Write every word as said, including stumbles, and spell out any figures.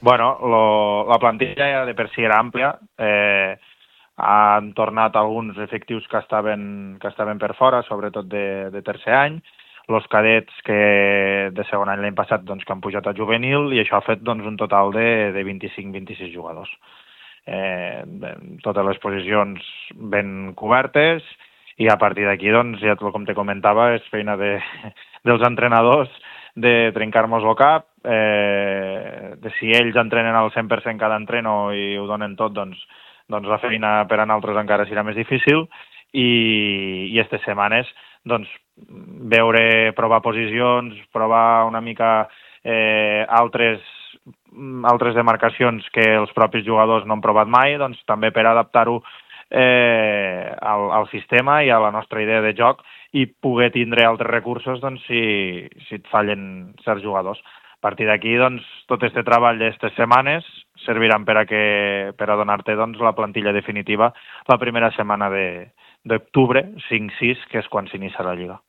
Bueno, lo, la plantilla ja de per si era àmplia, eh, han tornat alguns efectius que estaven, que estaven per fora, sobretot de, de tercer any, els cadets que de segon any l'any passat doncs, que han pujat a juvenil, i això ha fet doncs, un total de, de vint-i-cinc vint-i-sis jugadors. Eh, totes les posicions ben cobertes, i a partir d'aquí, doncs, ja com te comentava, és feina de, dels entrenadors de trencar-nos el cap, eh, de si ells entrenen al cent per cent cada entreno i ho donen tot, doncs, doncs la feina per a nosaltres encara serà més difícil, i, i aquestes setmanes doncs, veure, provar posicions, provar una mica eh, altres, altres demarcacions que els propis jugadors no han provat mai, doncs també per adaptar-ho eh, al, al sistema i a la nostra idea de joc, i poder tindre altres recursos doncs, si, si et fallen certs jugadors. A partir d'aquí, doncs, tot aquest treball d'aquestes setmanes serviran per a, que, per a donar-te doncs, la plantilla definitiva la primera setmana d'octubre, cinc sis, que és quan s'inicia la Lliga.